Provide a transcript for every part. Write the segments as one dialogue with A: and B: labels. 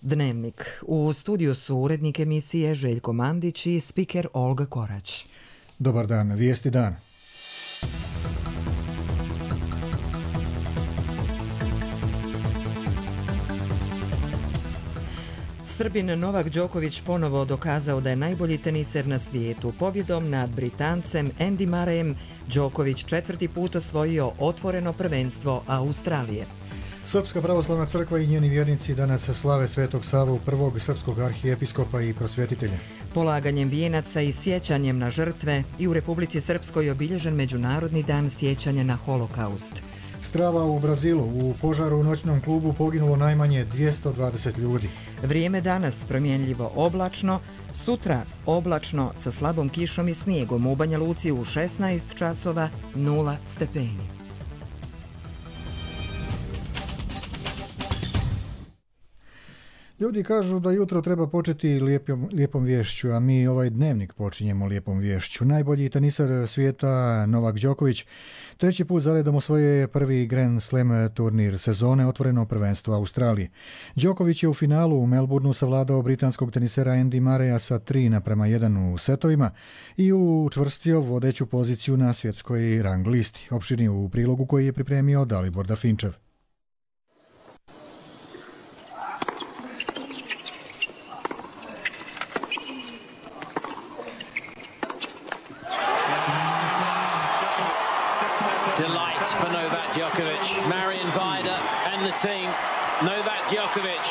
A: Dnevnik. U studiju su urednik emisije Željko Mandić i spiker Olga Korać.
B: Dobar dan, vijesti dana.
A: Srbin Novak Đoković ponovo dokazao da je najbolji teniser na svijetu. Pobjedom nad Britancem Andy Murrayem Đoković 4. put osvojio otvoreno prvenstvo Australije.
B: Srpska pravoslavna crkva i njeni vjernici danas slave Svetog Savu, prvog srpskog arhijepiskopa i prosvjetitelja.
A: Polaganjem vijenaca i sjećanjem na žrtve i u Republici Srpskoj obilježen Međunarodni dan sjećanja na holokaust.
B: Strava u Brazilu. U požaru u noćnom klubu poginulo najmanje 220 ljudi.
A: Vrijeme danas promjenljivo oblačno, sutra oblačno sa slabom kišom i snijegom. U Banja Luci u 16 časova 0 stepeni.
B: Ljudi kažu da jutro treba početi lijepom vješću, a mi ovaj dnevnik počinjemo lijepom vješću. Najbolji tenisar svijeta Novak Đoković 3. put zaredom osvojio je prvi Grand Slam turnir sezone, otvoreno prvenstvo Australije. Đoković je u finalu u Melbourneu savladao britanskog tenisera Andy Murraya sa 3:1 u setovima i učvrstio vodeću poziciju na svjetskoj rang listi. Opširnije u prilogu koji je pripremio Dalibor Dafinčev.
C: Delight for Novak Djokovic, Marion Vida and the team. Novak Djokovic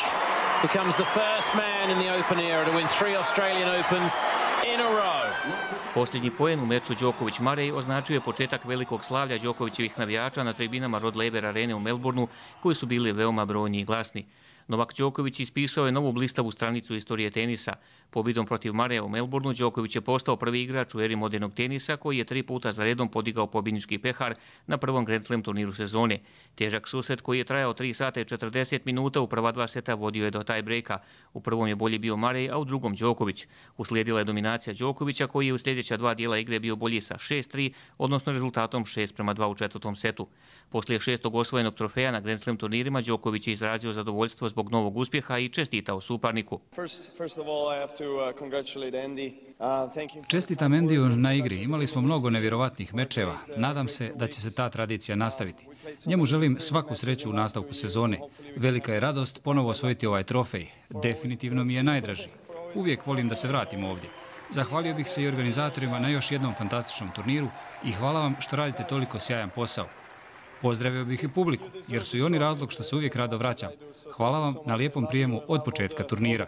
C: becomes the first man in the Open era to win 3 Australian Opens in a row.
D: Posljednji poen u meču Đoković-Murray označuje početak velikog slavlja Đokovićevih navijača na tribinama Rod Laver arene u Melbourneu, koji su bili veoma brojni i glasni. Novak Đoković ispisao je novu blistavu stranicu istorije tenisa. Pobjedom protiv Murraya u Melbourneu Đoković je postao prvi igrač u eri modernog tenisa koji je 3 puta za redom podigao pobjednički pehar na prvom Grand Slam turniru sezone. Težak susret koji je trajao 3 sata i 40 minuta u prva 2 seta vodio je do tie breaka. U prvom je bolji bio Murray, a u drugom Đoković. Uslijedila je dominacija Đokovića koji je u sljedeća 2 dijela igre bio bolji sa 6-3, odnosno rezultatom 6:2 u 4. setu. Poslije 6. osvojenog trofeja na Grand Slam turnirima Đoković je izrazio zadovoljstvo zbog novog uspjeha i čestitao suparniku.
E: Čestitam Andyju na igri. Imali smo mnogo nevjerovatnih mečeva. Nadam se da će se ta tradicija nastaviti. Njemu želim svaku sreću u nastavku sezone. Velika je radost ponovo osvojiti ovaj trofej. Definitivno mi je najdraži. Uvijek volim da se vratim ovdje. Zahvalio bih se i organizatorima na još jednom fantastičnom turniru i hvala vam što radite toliko sjajan posao. Pozdravio bih i publiku, jer su i oni razlog što se uvijek rado vraćam. Hvala vam na lijepom prijemu od početka turnira.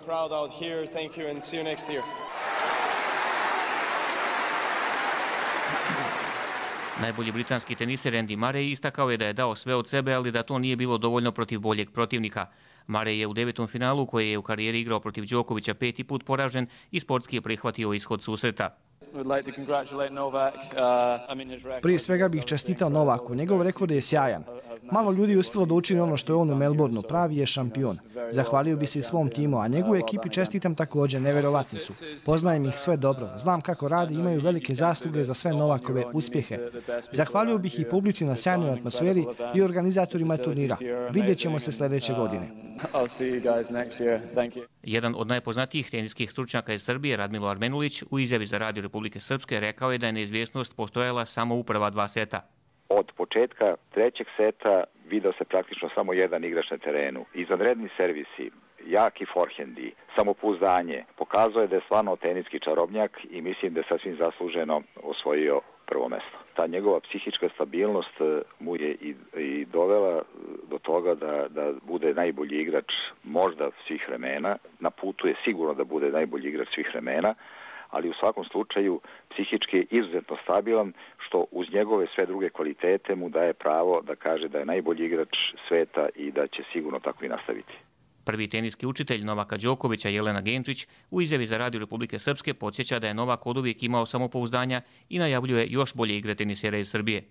D: Najbolji britanski teniser Andy Murray istakao je da je dao sve od sebe, ali da to nije bilo dovoljno protiv boljeg protivnika. Murray je u 9. finalu, koje je u karijeri igrao protiv Đokovića 5. put poražen i sportski je prihvatio ishod susreta.
F: Prije svega bih čestitao Novaku, njegov rekord je sjajan. Malo ljudi je uspjelo da učini ono što je on u Melbourneu, pravi je šampion. Zahvalio bi se i svom timu, a njegovoj ekipi čestitam također, nevjerovatni su. Poznajem ih sve dobro, znam kako radi i imaju velike zasluge za sve Novakove uspjehe. Zahvalio bih i publici na sjajnoj atmosferi i organizatorima turnira. Vidjet ćemo se sljedeće godine.
D: Jedan od najpoznatijih teniskih stručnjaka iz Srbije, Radmilo Armenulić, u izjavi za Radio Republike Srpske rekao je da je neizvjesnost postojala samo u prva 2 seta.
G: Od početka 3. seta video se praktično samo jedan igrač na terenu. Izvanredni servisi, jaki forhendi, samopouzdanje, pokazuje da je stvarno teniski čarobnjak i mislim da je sasvim zasluženo osvojio prvo mjesto. Ta njegova psihička stabilnost mu je i dovela do toga da bude najbolji igrač možda svih vremena. Na putu je sigurno da bude najbolji igrač svih vremena, ali u svakom slučaju psihički je izuzetno stabilan, što uz njegove sve druge kvalitete mu daje pravo da kaže da je najbolji igrač sveta i da će sigurno tako i nastaviti.
D: Prvi teniski učitelj Novaka Đokovića, Jelena Genčić, u izjavi za Radio Republike Srpske podsjeća da je Novak oduvijek imao samopouzdanja i najavljuje još bolje igre tenisera iz Srbije.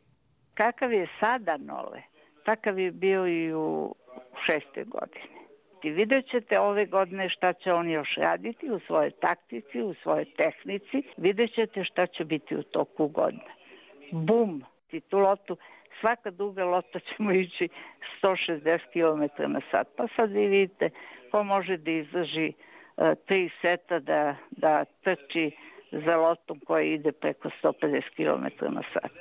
H: Kakav je sada Nole, takav je bio i u 6. godini. I vidjet ćete ove godine šta će on još raditi u svojoj taktici, u svojoj tehnici. Vidjet ćete šta će biti u toku godine. Bum! Tu lotu svaka duga lopta ćemo ići 160 km na sat. Pa sad vi vidite ko može da izdrži 3 seta da trči za loptom koja ide preko 150 km na sat.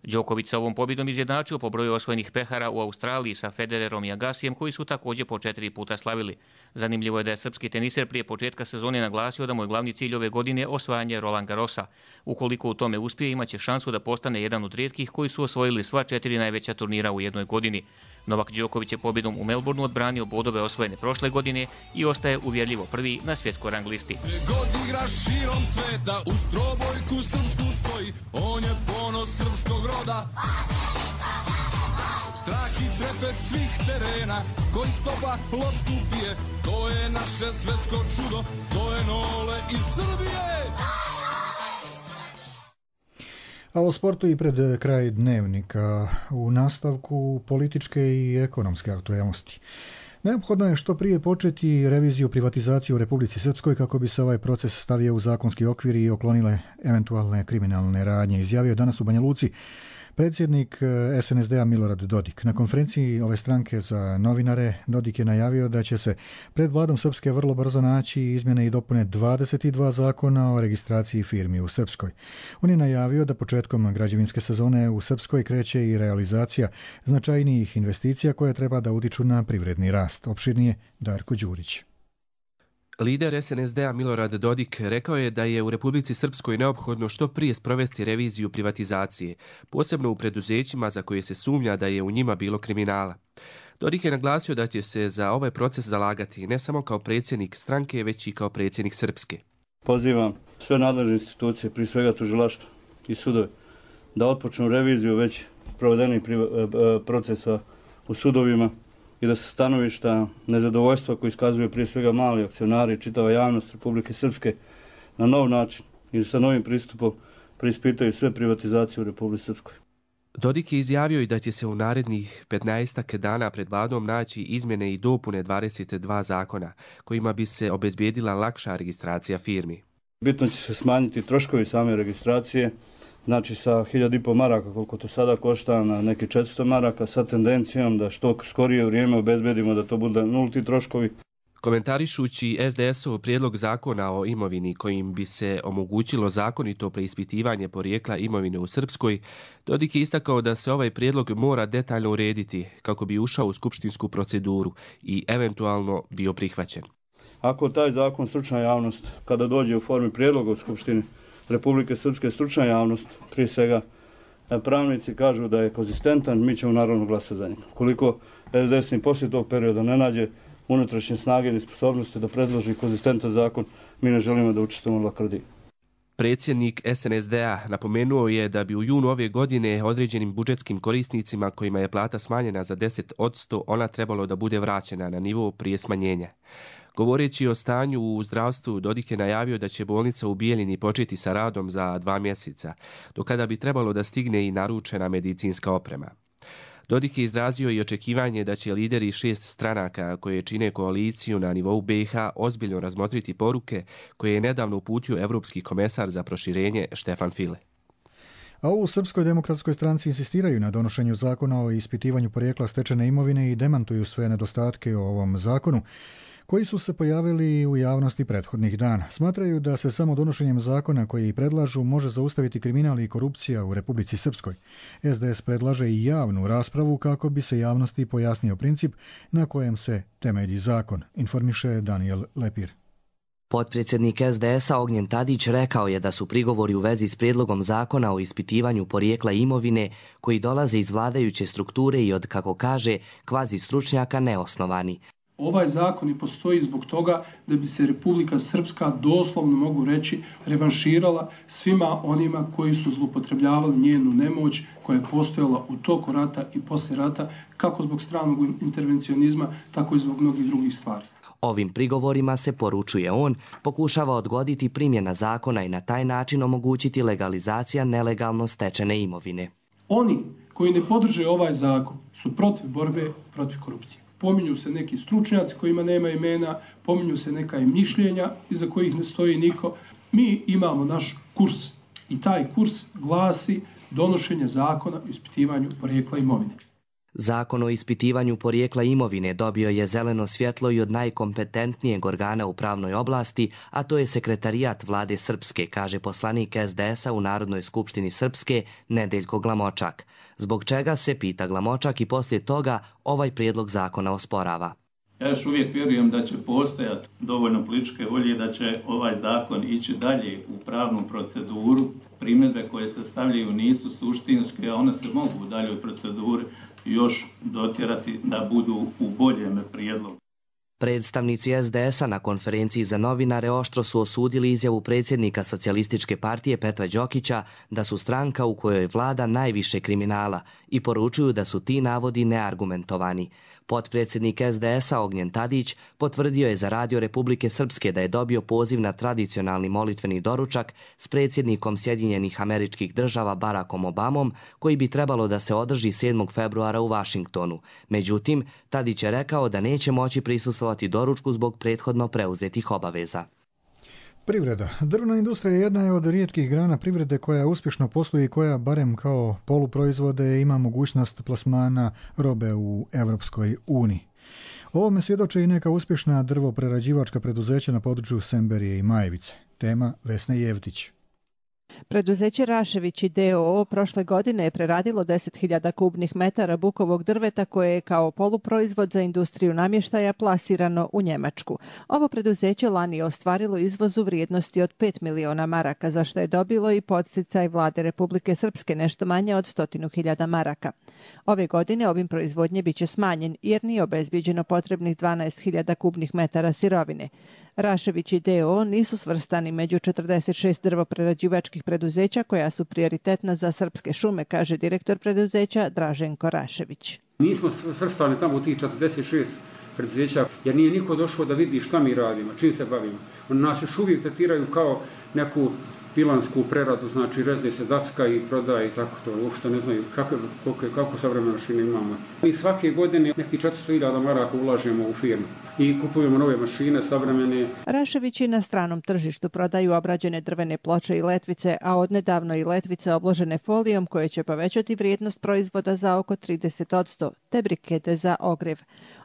D: Đoković sa ovom pobjedom izjednačio po broju osvojenih pehara u Australiji sa Federerom i Agasijem, koji su također po 4 puta slavili. Zanimljivo je da je srpski teniser prije početka sezone naglasio da mu je glavni cilj ove godine osvajanje Roland Garrosa. Ukoliko u tome uspije, imaće šansu da postane jedan od rijetkih koji su osvojili sva 4 najveća turnira u jednoj godini. Novak Đoković je pobjedom u Melbourneu odbranio bodove osvojene prošle godine i ostaje uvjerljivo prvi na svjetskoj rang listi.
I: God igra širom sveta, u strobojku srpsku stoji, on je ponos srpskog roda. Strah i trepet svih terena, koji stopa loptu pije, to je naše svjetsko čudo, to je Nole iz Srbije.
B: A o sportu i pred kraj dnevnika, u nastavku političke i ekonomske aktualnosti. Neophodno je što prije početi reviziju privatizacije u Republici Srpskoj kako bi se ovaj proces stavio u zakonski okvir i oklonile eventualne kriminalne radnje, izjavio danas u Banja Luci predsjednik SNSD-a Milorad Dodik. Na konferenciji ove stranke za novinare Dodik je najavio da će se pred vladom Srpske vrlo brzo naći izmjene i dopune 22 zakona o registraciji firmi u Srpskoj. On je najavio da početkom građevinske sezone u Srpskoj kreće i realizacija značajnijih investicija koje treba da utiču na privredni rast. Opširnije Darko Đurić.
J: Lider SNSD-a Milorad Dodik rekao je da je u Republici Srpskoj neophodno što prije sprovesti reviziju privatizacije, posebno u preduzećima za koje se sumnja da je u njima bilo kriminala. Dodik je naglasio da će se za ovaj proces zalagati ne samo kao predsjednik stranke, već i kao predsjednik Srpske.
K: Pozivam sve nadležne institucije, prije svega tužilaštvo i sudove, da otpočnu reviziju već provedenih procesa u sudovima i da se stanovišta nezadovoljstva koji iskazuju prije svega mali akcionari i čitava javnost Republike Srpske na nov način i sa novim pristupom preispitaju sve privatizacije u Republici Srpskoj.
J: Dodik je izjavio i da će se u narednih 15 dana pred vladom naći izmjene i dopune 22 zakona kojima bi se obezbijedila lakša registracija firmi.
K: Bitno će se smanjiti troškovi same registracije, znači sa 1.500 maraka koliko to sada košta na neki 400 maraka sa tendencijom da što skorije vrijeme obezbedimo da to bude nulti troškovi.
J: Komentarišući SDS-ov prijedlog zakona o imovini kojim bi se omogućilo zakonito preispitivanje porijekla imovine u Srpskoj, Dodik je istakao da se ovaj prijedlog mora detaljno urediti kako bi ušao u skupštinsku proceduru i eventualno bio prihvaćen.
K: Ako taj zakon stručna javnost, kada dođe u formi prijedloga u Skupštini Republike Srpske, stručna javnost, prije svega pravnici kažu da je konzistentan, mi ćemo naravno glasati za njega. Koliko SDS ni poslije tog perioda ne nađe unutrašnje snage i sposobnosti da predloži konzistentan zakon, mi ne želimo da učestvujemo u lakrdiji.
J: Predsjednik SNSD-a napomenuo je da bi u junu ove godine određenim budžetskim korisnicima kojima je plata smanjena za 10%, ona trebalo da bude vraćena na nivo prije smanjenja. Govoreći o stanju u zdravstvu, Dodik je najavio da će bolnica u Bijeljini početi sa radom za 2 mjeseca, do kada bi trebalo da stigne i naručena medicinska oprema. Dodik je izrazio i očekivanje da će lideri 6 stranaka koje čine koaliciju na nivou BiH ozbiljno razmotriti poruke koje je nedavno uputio Evropski komesar za proširenje Štefan File.
B: A u Srpskoj demokratskoj stranci insistiraju na donošenju zakona o ispitivanju porijekla stečene imovine i demantuju sve nedostatke o ovom zakonu koji su se pojavili u javnosti prethodnih dana. Smatraju da se samo donošenjem zakona koji predlažu može zaustaviti kriminal i korupcija u Republici Srpskoj. SDS predlaže i javnu raspravu kako bi se javnosti pojasnio princip na kojem se temelji zakon, informiše Daniel Lepir.
L: Potpredsjednik SDS-a Ognjen Tadić rekao je da su prigovori u vezi s prijedlogom zakona o ispitivanju porijekla imovine koji dolaze iz vladajuće strukture i od, kako kaže, kvazi stručnjaka neosnovani.
M: Ovaj zakon i postoji zbog toga da bi se Republika Srpska, doslovno mogu reći, revanširala svima onima koji su zloupotrebljavali njenu nemoć koja je postojala u toku rata i poslije rata, kako zbog stranog intervencionizma, tako i zbog mnogih drugih stvari.
L: Ovim prigovorima se, poručuje on, pokušava odgoditi primjena zakona i na taj način omogućiti legalizacija nelegalno stečene imovine.
M: Oni koji ne podrže ovaj zakon su protiv borbe protiv korupcije. Pominju se neki stručnjaci kojima nema imena, pominju se neka mišljenja iza kojih ne stoji niko. Mi imamo naš kurs I taj kurs glasi donošenje zakona o ispitivanju porijekla imovine.
L: Zakon o ispitivanju porijekla imovine dobio je zeleno svjetlo i od najkompetentnijeg organa u pravnoj oblasti, a to je Sekretarijat vlade Srpske, kaže poslanik SDS-a u Narodnoj skupštini Srpske Nedeljko Glamočak. Zbog čega se, pita Glamočak, i poslije toga ovaj prijedlog zakona osporava.
N: Ja još uvijek vjerujem da će postojati dovoljno političke volje da će ovaj zakon ići dalje u pravnu proceduru. Primjedbe koje se stavljaju nisu suštinske, a one se mogu u daljoj proceduri još dotjerati da budu u boljem prijedlogu.
L: Predstavnici SDS-a na konferenciji za novinare oštro su osudili izjavu predsjednika Socijalističke partije Petra Đokića da su stranka u kojoj vlada najviše kriminala i poručuju da su ti navodi neargumentovani. Potpredsjednik SDS-a Ognjen Tadić potvrdio je za Radio Republike Srpske da je dobio poziv na tradicionalni molitveni doručak s predsjednikom Sjedinjenih Američkih Država Barackom Obamom, koji bi trebalo da se održi 7. februara u Vašingtonu. Međutim, Tadić je rekao da neće moći prisustvovati doručku zbog prethodno preuzetih obaveza.
B: Privreda. Drvna industrija jedna je od rijetkih grana privrede koja uspješno posluje i koja, barem kao poluproizvode, ima mogućnost plasmana robe u Europskoj uniji. Ovome svjedoče i neka uspješna drvoprerađivačka preduzeća na području Semberije i Majevice. Tema Vesna Jevtić.
O: Preduzeće Rašević d.o.o. prošle godine je preradilo 10.000 kubnih metara bukovog drveta koje je kao poluproizvod za industriju namještaja plasirano u Njemačku. Ovo preduzeće lani je ostvarilo izvoz u vrijednosti od 5 miliona maraka, za što je dobilo i podsticaj vlade Republike Srpske nešto manje od 100.000 maraka. Ove godine ovim proizvodnje biće smanjen jer nije obezbijeđeno potrebnih 12.000 kubnih metara sirovine. Rašević d.o.o. nisu svrstani među 46 drvoprerađivačkih preduzeća koja su prioritetna za srpske šume, kaže direktor preduzeća Draženko Rašević.
P: Nismo svrstani tamo u tih 46 preduzeća jer nije niko došao da vidi šta mi radimo, čim se bavimo. Oni nas još uvijek tretiraju kao neku pilansku preradu, znači rezne se dacka i prodaje i tako to. Uopšte ne znaju kako savremene mašine imamo. Mi svake godine nekih 400.000 maraka ulažemo u firmu i kupujemo nove mašine, savremene.
O: Raševići na stranom tržištu prodaju obrađene drvene ploče i letvice, a odnedavno i letvice obložene folijom koje će povećati vrijednost proizvoda za oko 30%, te brikete za ogrjev.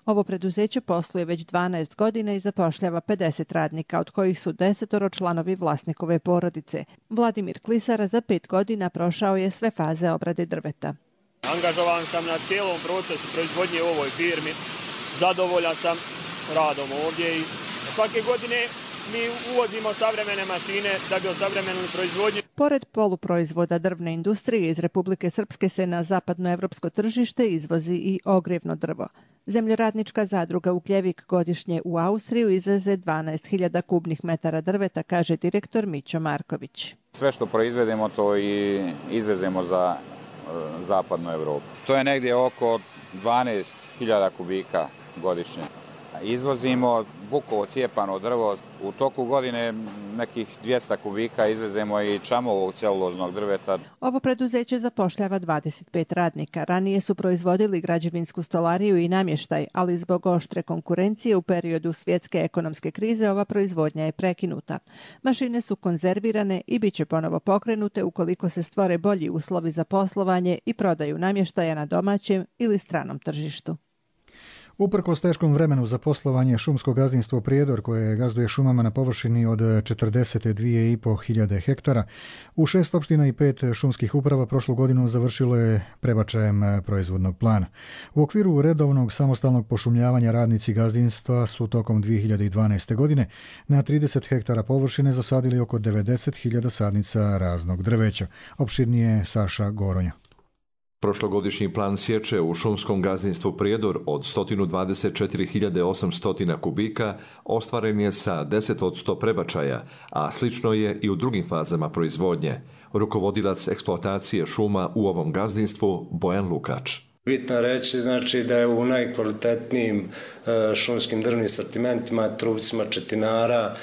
O: Ovo preduzeće posluje već 12 godina i zapošljava 50 radnika, od kojih su 10 članovi vlasnikove porodice. Vladimir Klisara za 5 godina prošao je sve faze obrade drveta.
Q: Angažovan sam na cijelom procesu proizvodnje u ovoj firmi. Zadovoljan sam radom ovdje i svake godine mi uvozimo savremene mašine da bi osavremenili proizvodnju.
O: Pored poluproizvoda drvne industrije iz Republike Srpske se na zapadnoevropsko tržište izvozi i ogrjevno drvo. Zemljoradnička zadruga Ugljevik godišnje u Austriju izveze 12.000 kubnih metara drveta, kaže direktor Mićo Marković.
R: Sve što proizvedemo to i izvezemo za zapadnu Evropu. To je negdje oko 12.000 kubika godišnje. Izvozimo bukovo cijepano drvo, u toku godine nekih 200 kubika izvezemo i čamovog celuloznog drveta.
O: Ovo preduzeće zapošljava 25 radnika. Ranije su proizvodili građevinsku stolariju i namještaj, ali zbog oštre konkurencije u periodu svjetske ekonomske krize ova proizvodnja je prekinuta. Mašine su konzervirane i bit će ponovo pokrenute ukoliko se stvore bolji uslovi za poslovanje i prodaju namještaja na domaćem ili stranom tržištu.
B: Uprkos teškom vremenu za poslovanje šumsko gazdinstvo Prijedor, koje gazduje šumama na površini od 42.500 hektara, u 6 opština i 5 šumskih uprava prošlu godinu završilo je prebačajem proizvodnog plana. U okviru redovnog samostalnog pošumljavanja radnici gazdinstva su tokom 2012. godine na 30 hektara površine zasadili oko 90.000 sadnica raznog drveća. Opširnije Saša Goronja.
S: Prošlogodišnji plan sječe u šumskom gazdinstvu Prijedor od 124.800 kubika ostvaren je sa 10% prebačaja, a slično je i u drugim fazama proizvodnje. Rukovodilac eksploatacije šuma u ovom gazdinstvu Bojan Lukač.
T: Bitno reći znači da je u najkvalitetnijim šumskim drvnim sortimentima, trupcima četinara,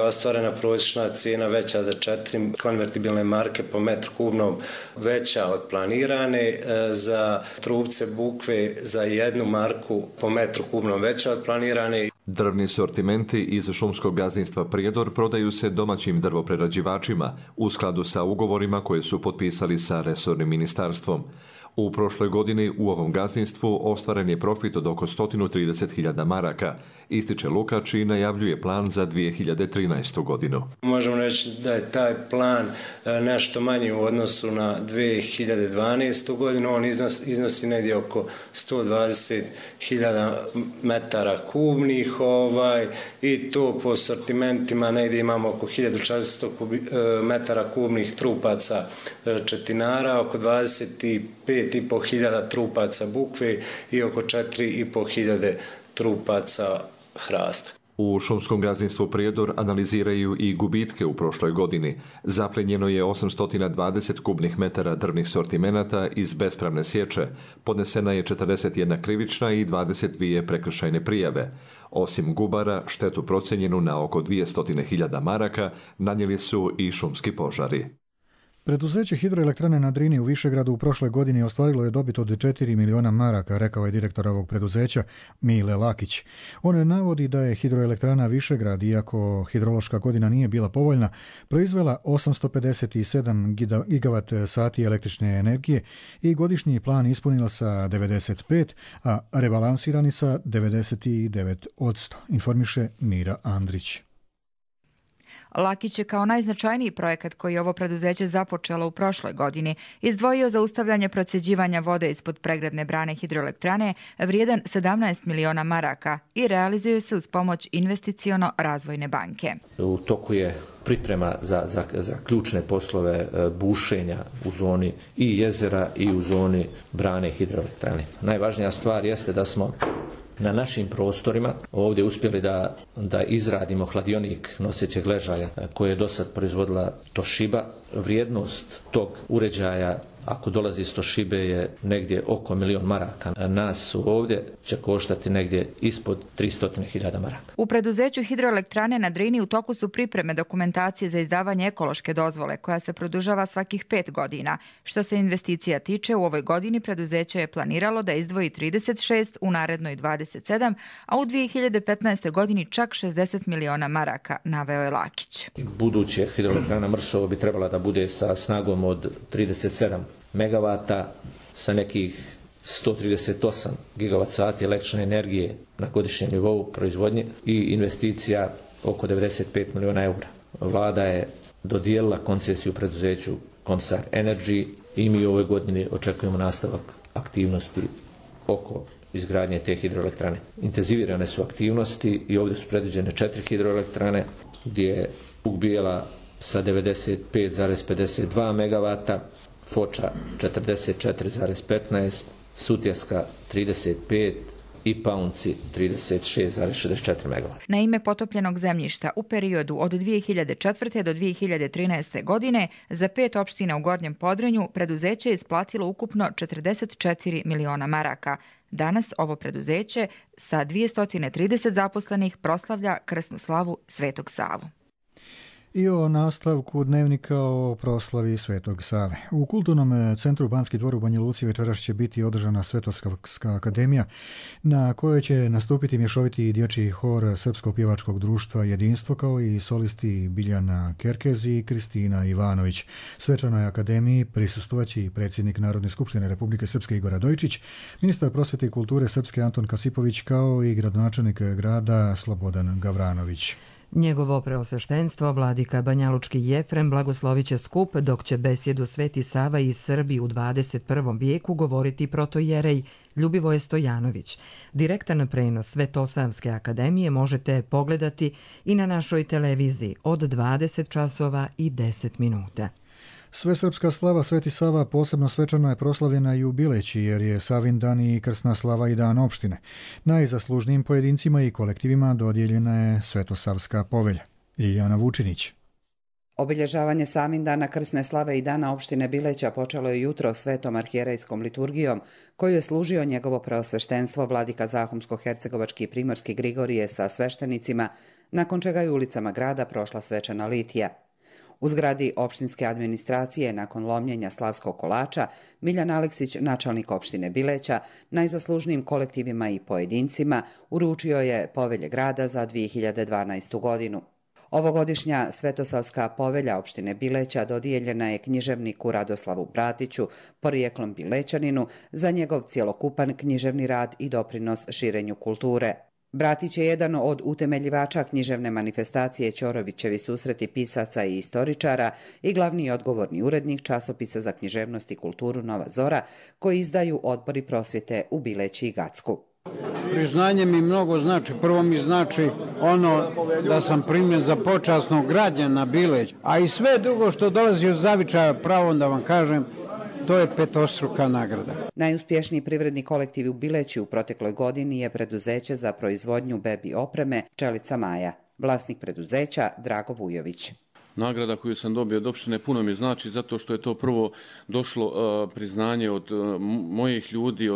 T: ostvarena prosječna cijena veća za 4 konvertibilne marke po metru kubnom, veća od planirane, za trupce bukve za 1 marku po metru kubnom veća od planirane.
S: Drvni sortimenti iz šumskog gazdinstva Prijedor prodaju se domaćim drvoprerađivačima u skladu sa ugovorima koje su potpisali sa resornim ministarstvom. U prošloj godini u ovom gazdinstvu ostvaren je profit od oko 130.000 maraka, ističe Lukač i najavljuje plan za 2013. godinu.
T: Možemo reći da je taj plan nešto manji u odnosu na 2012. godinu. On iznosi negdje oko 120.000 metara kubnih i to po sortimentima negdje imamo oko 1400 metara kubnih trupaca četinara, oko 25.500 trupaca bukve i oko 4.500 trupaca hrasta.
S: U šumskom gazdinstvu Prijedor analiziraju i gubitke u prošloj godini. Zaplenjeno je 820 kubnih metara drvnih sortimenata iz bespravne sječe. Podnesena je 41 krivična i 22 prekršajne prijave. Osim gubara, štetu procenjenu na oko 200.000 maraka nanijeli su i šumski požari.
B: Preduzeće hidroelektrane na Drini u Višegradu u prošle godini ostvarilo je dobit od 4 miliona maraka, rekao je direktor ovog preduzeća Mile Lakić. On navodi da je hidroelektrana Višegrad, iako hidrološka godina nije bila povoljna, proizvela 857 gigavat sati električne energije i godišnji plan ispunila sa 95, a rebalansirani sa 99%, informiše Mira Andrić.
U: Lakić je kao najznačajniji projekat koji je ovo preduzeće započelo u prošloj godini izdvojio zaustavljanje procjeđivanja vode ispod pregradne brane hidroelektrane vrijedan 17 miliona maraka i realizuje se uz pomoć investiciono-razvojne banke.
V: U toku je priprema za ključne poslove bušenja u zoni i jezera i u zoni brane hidroelektrane. Najvažnija stvar jeste da smo na našim prostorima ovdje uspjeli da izradimo hladionik nosećeg ležaja koje je dosad proizvodila Toshiba. Vrijednost tog uređaja, ako dolazi iz Toshibe, je negdje oko 1 milion maraka. Nas ovdje će koštati negdje ispod 300.000 maraka.
U: U preduzeću hidroelektrane na Drini u toku su pripreme dokumentacije za izdavanje ekološke dozvole koja se produžava svakih 5 godina. Što se investicija tiče, u ovoj godini preduzeće je planiralo da izdvoji 36, u narednoj 27, a u 2015. godini čak 60 miliona maraka, naveo je Lakić.
V: Buduće hidroelektrana Mrsovo bi trebala da bude sa snagom od 37 megavata sa nekih 138 gigavat sati električne energije na godišnjem nivou proizvodnje i investicija oko 95 miliona eura. Vlada je dodijelila koncesiju preduzeću Comsar Energy i mi u ovoj godini očekujemo nastavak aktivnosti oko izgradnje te hidroelektrane. Intenzivirane su aktivnosti i ovdje su predviđene 4 hidroelektrane gdje je Vuk Bijela sa 95,52 megavata, Foča 44,15, Sutjeska 35 i Paunci 36,64 megavata.
U: Na ime potopljenog zemljišta u periodu od 2004. do 2013. godine za 5 opština u Gornjem Podrinju preduzeće je isplatilo ukupno 44 miliona maraka. Danas ovo preduzeće sa 230 zaposlenih proslavlja krsnu slavu Svetog Savu.
B: I o nastavku dnevnika o proslavi Svetog Save. U Kulturnom centru Banski dvor u Banja Luci večeras će biti održana Svetosavska akademija na kojoj će nastupiti mješoviti dječji hor Srpskog pjevačkog društva Jedinstvo kao i solisti Biljana Kerkez i Kristina Ivanović. Svečanoj akademiji prisustvovaće i predsjednik Narodne skupštine Republike Srpske Igor Radojičić, ministar prosvjete i kulture Srpske Anton Kasipović kao i gradonačelnik grada Slobodan Gavranović.
A: Njegovo preosveštenstvo, vladika Banjalučki Jefrem, blagoslovit će skup, dok će besjedu Sveti Sava i Srbi u 21. vijeku govoriti protojerej Ljubivoje Stojanović. Direktan prenos Svetosavske akademije možete pogledati i na našoj televiziji od 20 časova i 10 minuta.
B: Svesrpska slava Sveti Sava posebno svečano je proslavljena i u Bileći, jer je Savin dan i krsna slava i dan opštine. Najzaslužnijim pojedincima i kolektivima dodijeljena je Svetosavska povelja. Lijana Vučinić.
W: Obilježavanje Savindana, krsne slave i dana opštine Bileća počelo je jutro svetom arhijerejskom liturgijom, koju je služio njegovo preosveštenstvo vladika Zahumsko-hercegovački i primorski Grigorije sa sveštenicima, nakon čega je ulicama grada prošla svečana litija. U zgradi opštinske administracije nakon lomljenja slavskog kolača Miljan Aleksić, načelnik opštine Bileća, najzaslužnijim kolektivima i pojedincima uručio je povelje grada za 2012. godinu. Ovogodišnja Svetosavska povelja opštine Bileća dodijeljena je književniku Radoslavu Bratiću, porijeklom Bilećaninu, za njegov cjelokupan književni rad i doprinos širenju kulture. Bratić je jedan od utemeljivača književne manifestacije Ćorovićevi susreti pisaca i istoričara i glavni i odgovorni urednik časopisa za književnost i kulturu Nova Zora, koji izdaju odbori prosvjete u Bileći i Gacku.
C: Priznanje mi mnogo znači. Prvo mi znači ono da sam primljen za počasnog građana Bileć, a i sve drugo što dolazi od zavičaja, pravo da vam kažem, to je petostruka nagrada.
W: Najuspješniji privredni kolektiv u Bileći u protekloj godini je preduzeće za proizvodnju bebi opreme Pčelica Maja. Vlasnik preduzeća Drago Vujović.
E: Nagrada koju sam dobio od opštine puno mi znači zato što je to prvo došlo priznanje od mojih ljudi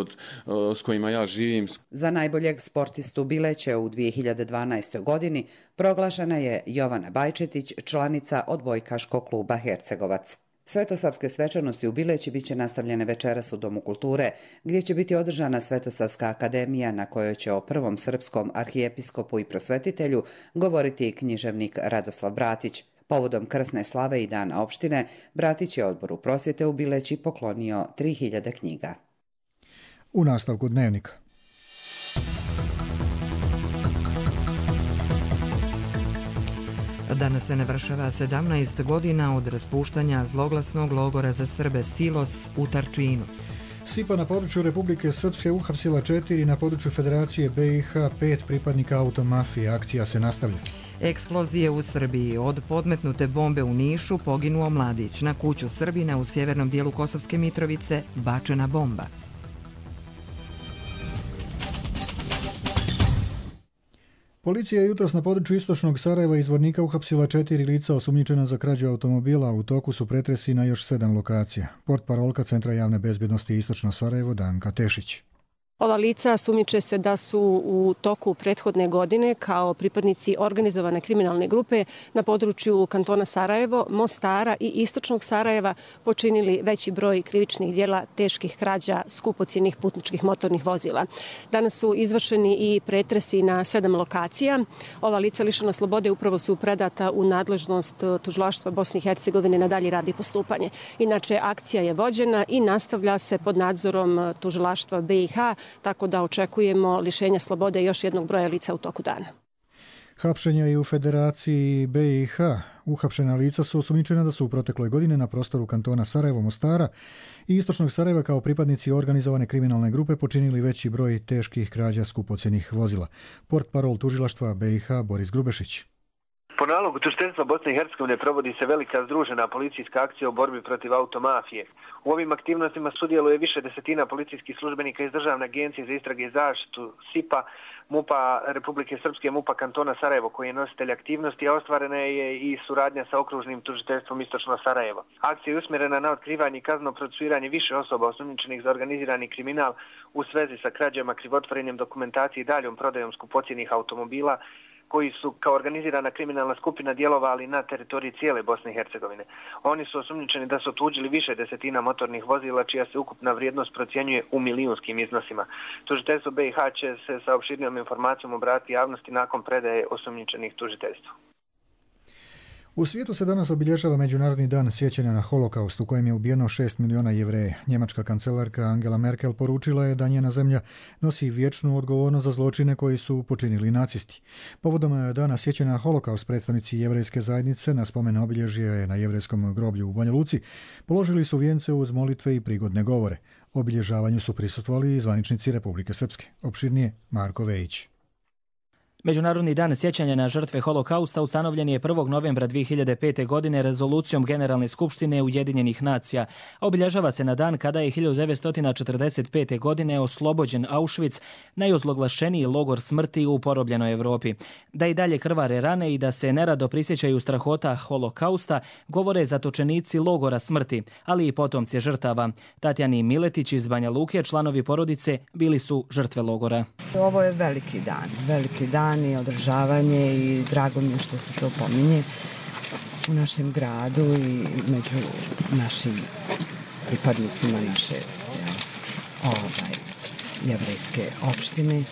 E: s kojima ja živim.
W: Za najboljeg sportistu Bileće u 2012. godini proglašena je Jovana Bajčetić, članica odbojkaškog kluba Hercegovac. Svetosavske svečanosti u Bileći biće nastavljene večeras u Domu kulture, gdje će biti održana Svetosavska akademija na kojoj će o prvom srpskom arhijepiskopu i prosvetitelju govoriti književnik Radoslav Bratić. Povodom krsne slave i dana opštine, Bratić je odboru prosvjete u Bileći poklonio 3000 knjiga.
B: U nastavku dnevnika.
A: Danas se navršava 17 godina od raspuštanja zloglasnog logora za Srbe Silos u Tarčinu.
B: SIPA na području Republike Srpske uhapsila 4, na području Federacije BiH 5 pripadnika automafije. Akcija se nastavlja.
A: Eksplozije u Srbiji. Od podmetnute bombe u Nišu poginuo mladić. Na kuću Srbina u sjevernom dijelu Kosovske Mitrovice bačena bomba.
B: Policija je jutros na području istočnog Sarajeva iz Zvornika uhapsila 4 lica osumnjičena za krađu automobila. U toku su pretresi na još 7 lokacija. Portparolka Centra javne bezbjednosti Istočno Sarajevo Danka Tešić.
F: Ova lica sumnjiče se da su u toku prethodne godine kao pripadnici organizovane kriminalne grupe na području kantona Sarajevo, Mostara i Istočnog Sarajeva počinili veći broj krivičnih djela teških krađa skupocjenih putničkih motornih vozila. Danas su izvršeni i pretresi na 7 lokacija. Ova lica lišena slobode upravo su predata u nadležnost tužilaštva Bosne i Hercegovine na dalji rad i postupanje. Inače, akcija je vođena i nastavlja se pod nadzorom tužilaštva BiH, tako da očekujemo lišenja slobode još jednog broja lica u toku dana.
B: Hapšenja i u Federaciji BiH. Uhapšena lica su osumnjičena da su u protekloj godine na prostoru kantona Sarajevo, Mostara i Istočnog Sarajeva kao pripadnici organizovane kriminalne grupe počinili veći broj teških krađa skupocjenih vozila. Portparol tužilaštva BiH Boris Grubešić.
X: Po nalogu tužiteljstva Bosne i Hercegovine provodi se velika združena policijska akcija u borbi protiv automafije. U ovim aktivnostima sudjeluje više desetina policijskih službenika iz Državne agencije za istrage i zaštitu SIPA, MUPA Republike Srpske, MUPA kantona Sarajevo koji je nositelj aktivnosti, a ostvarena je i suradnja sa okružnim tužiteljstvom Istočno Sarajevo. Akcija je usmjerena na otkrivanje i kazneno procesuiranje više osoba osumnjičenih za organizirani kriminal u svezi sa krađama, krivotvorenjem dokumentacije i daljom prodajom skupocjenih automobila koji su kao organizirana kriminalna skupina djelovali na teritoriji cijele Bosne i Hercegovine. Oni su osumnjičeni da su otuđili više desetina motornih vozila, čija se ukupna vrijednost procjenjuje u milijunskim iznosima. Tužiteljstvo BiH će se sa opširnijom informacijom obratiti javnosti nakon predaje osumnjičenih tužiteljstvu.
B: U svijetu se danas obilježava Međunarodni dan sjećanja na holokaust u kojem je ubijeno 6 miliona Jevreja. Njemačka kancelarka Angela Merkel poručila je da njena zemlja nosi vječnu odgovornost za zločine koji su počinili nacisti. Povodom dana sjećanja na holokaust predstavnici jevrejske zajednice na spomen obilježje na jevrejskom groblju u Banja Luci položili su vijence uz molitve i prigodne govore. Obilježavanju su prisustvovali i zvaničnici Republike Srpske. Opširnije Marko Vejić.
Y: Međunarodni dan sjećanja na žrtve holokausta ustanovljen je 1. novembra 2005. godine rezolucijom Generalne skupštine Ujedinjenih nacija. Obilježava se na dan kada je 1945. godine oslobođen Auschwitz, najozloglašeniji logor smrti u porobljenoj Evropi. Da i dalje krvare rane i da se nerado prisjećaju strahota holokausta govore zatočenici logora smrti, ali i potomci žrtava. Tatjani Miletić iz Banja Luke, članovi porodice, bili su žrtve logora.
Z: Ovo je veliki dan i održavanje i drago mi je što se to pominje.
D: u našem gradu i među našim pripadnicima naše jevrejske opštine.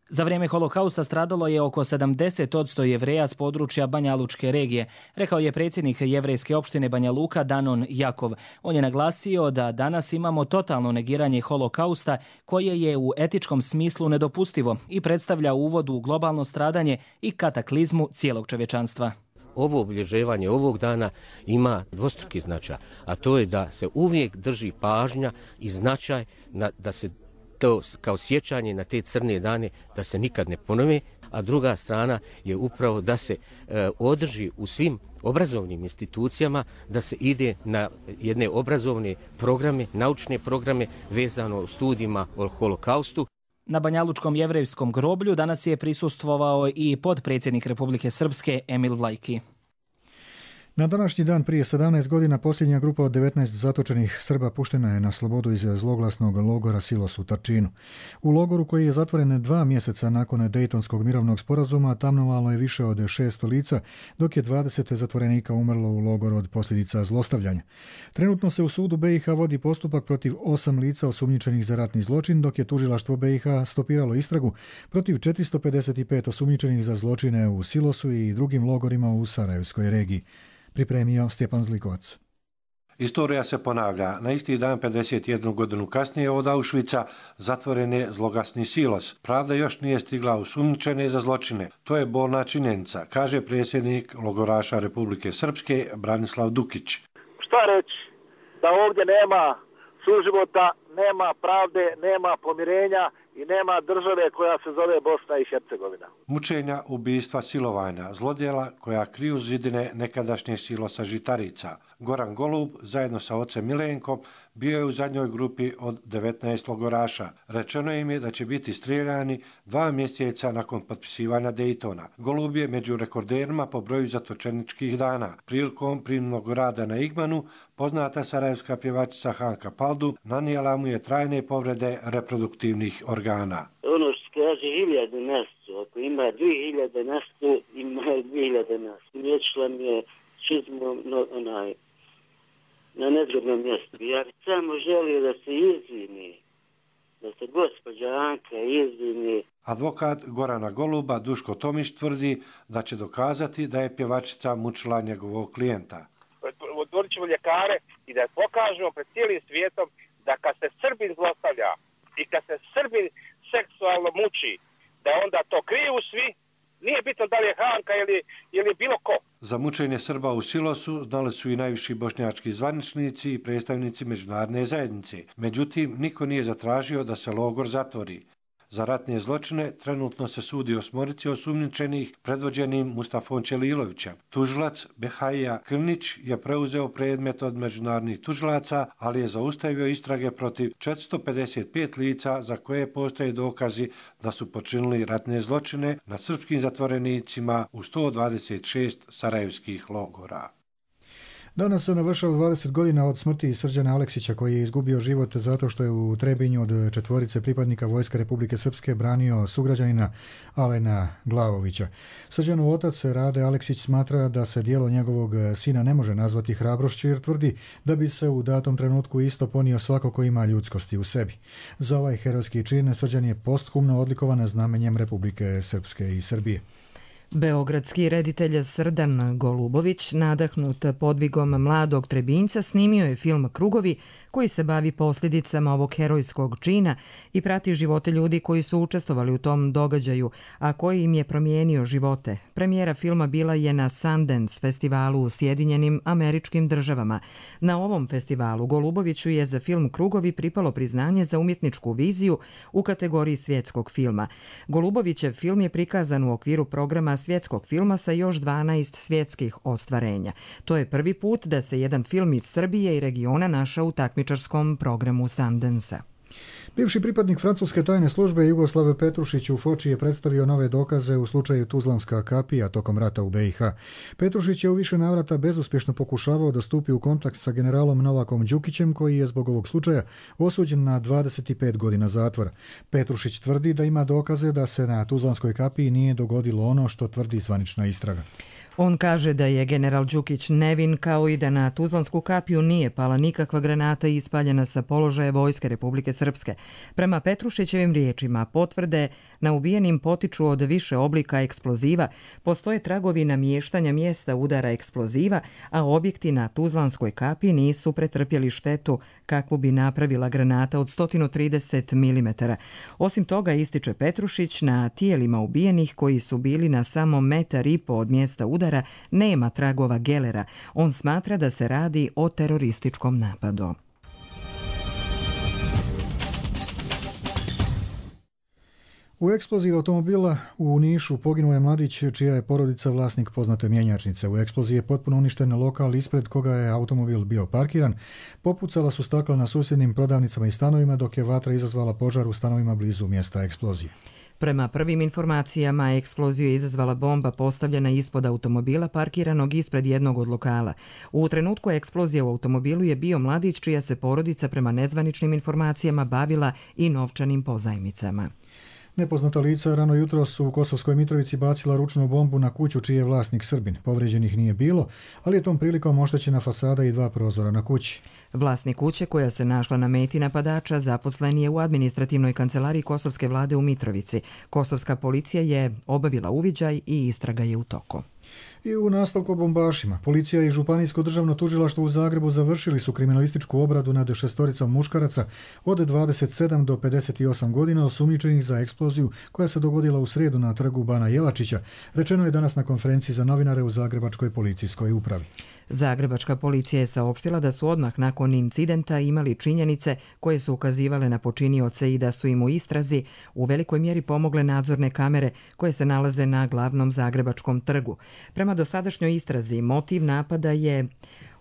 Y: Za vrijeme holokausta stradalo je oko 70% Jevreja s područja Banja Lučke regije, rekao je predsjednik jevrejske opštine Banja Luka Danon Jakov. On je naglasio da danas imamo totalno negiranje holokausta koje je u etičkom smislu nedopustivo i predstavlja uvod u globalno stradanje i kataklizmu cijelog čovječanstva.
G: Ovo obilježavanje ovog dana ima dvostruki značaj, a to je da se uvijek drži pažnja i značaj da se to kao sjećanje na te crne dane da se nikad ne ponove, a druga strana je upravo da se održi u svim obrazovnim institucijama, da se ide na jedne obrazovne programe, naučne programe vezano u studijima o holokaustu.
Y: Na Banjalučkom jevrejskom groblju danas je prisustvovao i potpredsjednik Republike Srpske Emil Vlajki.
B: Na današnji dan prije 17 godina posljednja grupa od 19 zatočenih Srba puštena je na slobodu iz zloglasnog logora Silos u Tarčinu. U logoru koji je zatvoren 2 mjeseca nakon Dejtonskog mirovnog sporazuma tamnovalo je više od 600 lica, dok je 20 zatvorenika umrlo u logoru od posljedica zlostavljanja. Trenutno se u sudu BiH vodi postupak protiv 8 lica osumnjičenih za ratni zločin, dok je tužilaštvo BiH stopiralo istragu protiv 455 osumnjičenih za zločine u Silosu i drugim logorima u Sarajevskoj regiji. Pripremio Stjepan Zlikovac.
H: Istorija se ponavlja. Na isti dan 51 godinu kasnije od Auschwitza zatvoren je zloglasni Silos. Pravda još nije stigla osumnjičene za zločine. To je bolna činjenica, kaže predsjednik logoraša Republike Srpske Branislav Dukić.
I: Šta reći? Da ovdje nema suživota, nema pravde, nema pomirenja i nema države koja se zove Bosna i Hercegovina.
H: Mučenja, ubistva, silovanja, zlodjela koja kriju zidine nekadašnje Silosa Žitarica. Goran Golub zajedno sa ocem Milenkom bio je u zadnjoj grupi od 19 logoraša. Rečeno im je da će biti strijeljani 2 mjeseca nakon potpisivanja Dejtona. Golub je među rekorderima po broju zatočeničkih dana. Prilikom prinudnog rada na Igmanu poznata sarajevska pjevačica Hanka Paldu nanijela mu je trajne povrede reproduktivnih organa.
K: Ono što kaže 1000 mjesecu, ako ima 2000 mjesecu, ima 2000 mjesecu. Liječila mi je čizmom na nezgodnom mjestu. Ja bih samo želio da se izvini, da se gospođa Anka izvini.
H: Advokat Gorana Goluba Duško Tomić tvrdi da će dokazati da je pjevačica mučila njegovog klijenta.
Z: Otvorit ćemo ljekare i da pokažemo pred cijelim svijetom da kad se Srbin zlostavlja i kad se Srbin seksualno muči, da onda to kriju svi, nije bitno da li je Hanka ili bilo ko.
H: Za mučenje Srba u Silosu znali su i najviši bošnjački zvaničnici i predstavnici međunarodne zajednice. Međutim, niko nije zatražio da se logor zatvori. Za ratne zločine trenutno se sudi 8 osumnjičenih predvođenim Mustafom Ćelilovićem. Tužilac Behaija Krnić je preuzeo predmet od međunarodnih tužilaca, ali je zaustavio istrage protiv 455 lica za koje postoje dokazi da su počinili ratne zločine nad srpskim zatvorenicima u 126 sarajevskih logora.
B: Danas se navršava 20 godina od smrti Srđana Aleksića, koji je izgubio život zato što je u Trebinju od 4 pripadnika Vojske Republike Srpske branio sugrađanina Alena Glavovića. Srđanov otac Rade Aleksić smatra da se djelo njegovog sina ne može nazvati hrabrošću, jer tvrdi da bi se u datom trenutku isto ponio svako ko ima ljudskosti u sebi. Za ovaj herojski čin Srđan je posthumno odlikovan znamenjem Republike Srpske i Srbije.
A: Beogradski reditelj Srdan Golubović, nadahnut podvigom mladog Trebinjca, snimio je film Krugovi, koji se bavi posljedicama ovog herojskog čina i prati živote ljudi koji su učestvovali u tom događaju, a koji im je promijenio živote. Premijera filma bila je na Sundance festivalu u Sjedinjenim Američkim Državama. Na ovom festivalu Goluboviću je za film Krugovi pripalo priznanje za umjetničku viziju u kategoriji svjetskog filma. Golubovićev film je prikazan u okviru programa svjetskog filma sa još 12 svjetskih ostvarenja. To je prvi put da se jedan film iz Srbije i regiona našao u takmičarskom programu Sundance-a.
B: Bivši pripadnik francuske tajne službe Jugoslav Petrušić u Foči je predstavio nove dokaze u slučaju Tuzlanska kapija tokom rata u BiH. Petrušić je u više navrata bezuspješno pokušavao da stupi u kontakt sa generalom Novakom Đukićem, koji je zbog ovog slučaja osuđen na 25 godina zatvora. Petrušić tvrdi da ima dokaze da se na Tuzlanskoj kapiji nije dogodilo ono što tvrdi zvanična istraga.
A: On kaže da je general Đukić nevin, kao i da na Tuzlansku kapiju nije pala nikakva granata ispaljena sa položaja Vojske Republike Srpske. Prema Petrušićevim riječima, potvrde na ubijenim potiču od više oblika eksploziva, postoje tragovi namještanja mjesta udara eksploziva, a objekti na Tuzlanskoj kapiji nisu pretrpjeli štetu kakvu bi napravila granata od 130 mm. Osim toga, ističe Petrušić, na tijelima ubijenih koji su bili na samo 1,5 m od mjesta udara nema tragova gelera. On smatra da se radi o terorističkom napadu.
B: U eksploziji automobila u Nišu poginuo je mladić čija je porodica vlasnik poznate mjenjačnice. U eksploziji je potpuno uništen lokal ispred koga je automobil bio parkiran. Popucala su stakla na susjednim prodavnicama i stanovima, dok je vatra izazvala požar u stanovima blizu mjesta eksplozije.
A: Prema prvim informacijama, eksploziju je izazvala bomba postavljena ispod automobila parkiranog ispred jednog od lokala. U trenutku eksplozije u automobilu je bio mladić čija se porodica prema nezvaničnim informacijama bavila i novčanim pozajmicama.
B: Nepoznata lica rano jutro su u Kosovskoj Mitrovici bacila ručnu bombu na kuću čiji je vlasnik Srbin. Povrijeđenih nije bilo, ali je tom prilikom oštećena fasada i 2 prozora na kući.
A: Vlasnik kuće koja se našla na meti napadača zaposlen je u administrativnoj kancelariji Kosovske vlade u Mitrovici. Kosovska policija je obavila uviđaj i istraga je u toku.
B: I u nastavku o bombašima. Policija i Županijsko državno tužilaštvo u Zagrebu završili su kriminalističku obradu nad 6 muškaraca od 27 do 58 godina osumnjičenih za eksploziju koja se dogodila u srijedu na trgu Bana Jelačića, rečeno je danas na konferenciji za novinare u Zagrebačkoj policijskoj upravi.
A: Zagrebačka policija je saopštila da su odmah nakon incidenta imali činjenice koje su ukazivale na počinioce i da su im u istrazi u velikoj mjeri pomogle nadzorne kamere koje se nalaze na glavnom Zagrebačkom trgu. Prema dosadašnjoj istrazi, motiv napada je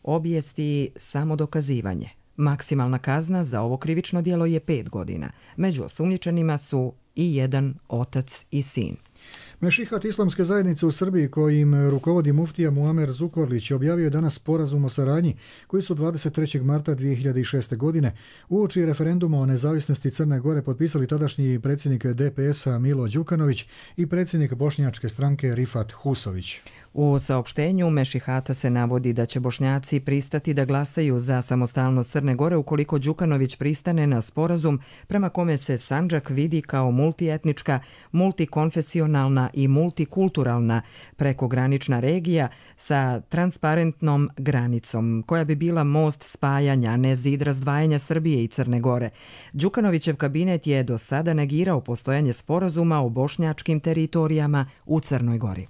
A: obijesti samodokazivanje. Maksimalna kazna za ovo krivično djelo je 5 godina. Među osumnjičenima su i jedan otac i sin.
B: Mešihat Islamske zajednice u Srbiji, kojim rukovodi muftija Muamer Zukorlić, objavio je danas sporazum o saradnji koji su 23. marta 2006. godine uoči referenduma o nezavisnosti Crne Gore potpisali tadašnji predsjednik DPS-a Milo Đukanović i predsjednik bošnjačke stranke Rifat Husović.
A: U saopštenju Mešihata se navodi da će Bošnjaci pristati da glasaju za samostalnost Crne Gore ukoliko Đukanović pristane na sporazum prema kome se Sandžak vidi kao multietnička, multikonfesionalna i multikulturalna prekogranična regija sa transparentnom granicom, koja bi bila most spajanja, a ne zid razdvajanja Srbije i Crne Gore. Đukanovićev kabinet je do sada negirao postojanje sporazuma o bošnjačkim teritorijama u Crnoj Gori.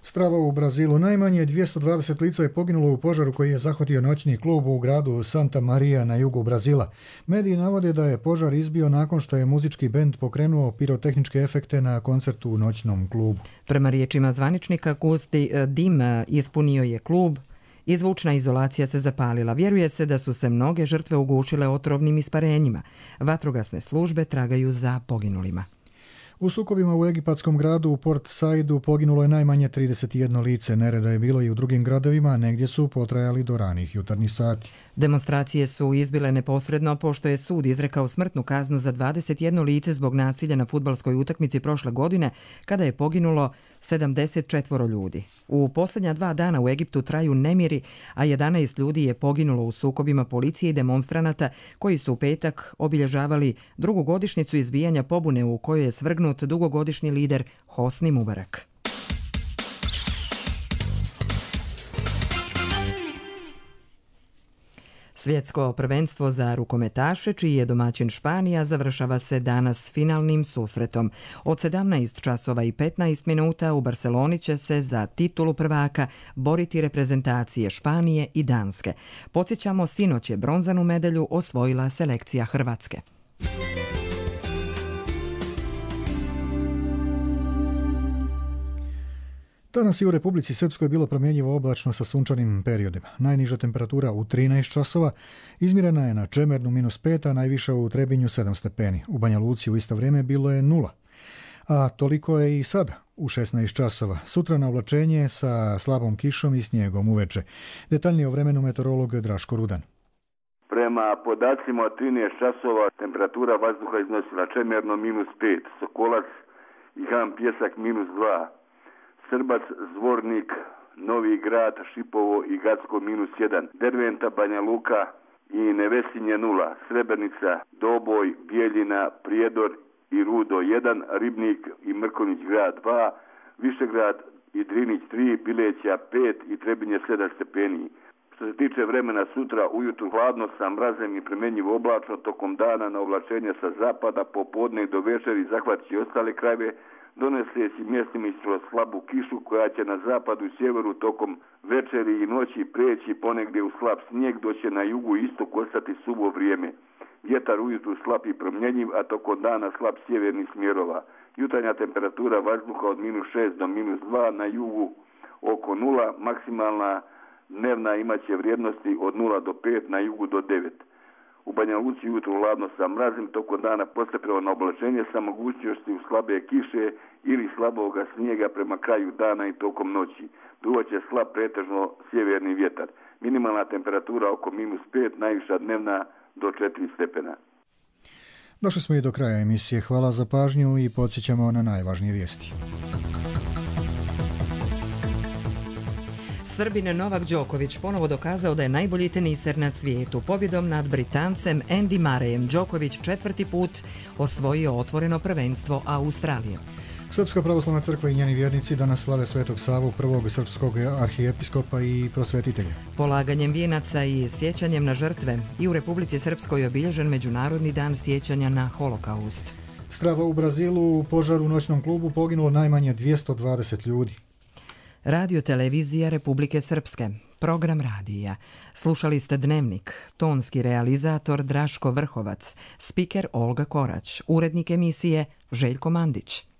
B: Strava u Brazilu. Najmanje 220 lica je poginulo u požaru koji je zahvatio noćni klub u gradu Santa Maria na jugu Brazila. Mediji navode da je požar izbio nakon što je muzički bend pokrenuo pirotehničke efekte na koncertu u noćnom klubu.
A: Prema riječima zvaničnika, gusti dim ispunio je klub i zvučna izolacija se zapalila. Vjeruje se da su se mnoge žrtve ugušile otrovnim isparenjima. Vatrogasne službe tragaju za poginulima.
B: U sukobima u egipatskom gradu u Port Saidu poginulo je najmanje 31 lice. Nereda je bilo i u drugim gradovima, a negdje su potrajali do ranih jutarnjih sati.
A: Demonstracije su izbile neposredno pošto je sud izrekao smrtnu kaznu za 21 lice zbog nasilja na fudbalskoj utakmici prošle godine, kada je poginulo 74 ljudi. U posljednja 2 dana u Egiptu traju nemiri, a 11 ljudi je poginulo u sukobima policije i demonstranata koji su u petak obilježavali drugu godišnjicu izbijanja pobune u kojoj je svrgnut dugogodišnji lider Hosni Mubarak. Svjetsko prvenstvo za rukometaše, čiji je domaćin Španija, završava se danas finalnim susretom. Od 17 časova i 15 minuta u Barceloni će se za titulu prvaka boriti reprezentacije Španije i Danske. Podsjećamo, sinoć je bronzanu medalju osvojila selekcija Hrvatske.
B: Danas je u Republici Srpskoj bilo promjenjivo oblačno sa sunčanim periodima. Najniža temperatura u 13 časova izmjerena je na Čemernu -5, a najviša u Trebinju 7 stepeni. U Banja Luci u isto vrijeme bilo je 0. A toliko je i sada u 16 časova. Sutra na oblačenje sa slabom kišom i snijegom uveče. Detaljnije o vremenu meteorolog Draško Rudan.
J: Prema podacima od 13 časova temperatura vazduha iznosila Čemerno -5, Sokolac i Han Pjesak -2. Srbac, Zvornik, Novi Grad, Šipovo i Gacko -1, Derventa, Banja Luka i Nevesinje 0, Srebrenica, Doboj, Bijeljina, Prijedor i Rudo 1, Ribnik i Mrkonjić Grad 2, Višegrad i Drinić 3, Bileća 5 i Trebinje 7 stepeni. Što se tiče vremena, sutra ujutru hladno sa mrazem i premenjivo oblačno, tokom dana na oblačenje sa zapada, popodne i do večeri zahvatit ostale krajeve, doneseći mjestima ispod slabu kišu koja će na zapadu i sjeveru tokom večeri i noći preći ponegdje u slab snijeg, dok će na jugu i istoku ostati suvo vrijeme. Vjetar ujutru slab i promjenjiv, a tokom dana slab sjevernih smjerova. Jutarnja temperatura vazduha od -6 do -2, na jugu oko 0, maksimalna dnevna imaće vrijednosti od 0 do 5, na jugu do 9. U Banja Luci jutro hladno sa mrazim, tokom dana postepeno na oblačenje sa mogućnosti u slabe kiše ili slaboga snijega prema kraju dana i tokom noći. Duvaće slab pretežno sjeverni vjetar. Minimalna temperatura oko -5, najviša dnevna do 4 stepena.
B: Došli smo i do kraja emisije. Hvala za pažnju i podsjećamo na najvažnije vijesti.
A: Srbin Novak Đoković ponovo dokazao da je najbolji teniser na svijetu. Pobjedom nad Britancem Andy Murrayem Đoković 4. put osvojio otvoreno prvenstvo Australije.
B: Srpska pravoslavna crkva i njeni vjernici danas slave Svetog Savu, prvog srpskog arhijepiskopa i prosvetitelja.
A: Polaganjem vijenaca i sjećanjem na žrtve i u Republici Srpskoj je obilježen Međunarodni dan sjećanja na Holokaust.
B: Strava u Brazilu, u požaru u noćnom klubu poginulo najmanje 220 ljudi.
A: Radio televizija Republike Srpske, program radija. Slušali ste Dnevnik, tonski realizator Draško Vrhovac, spiker Olga Korać, urednik emisije Željko Mandić.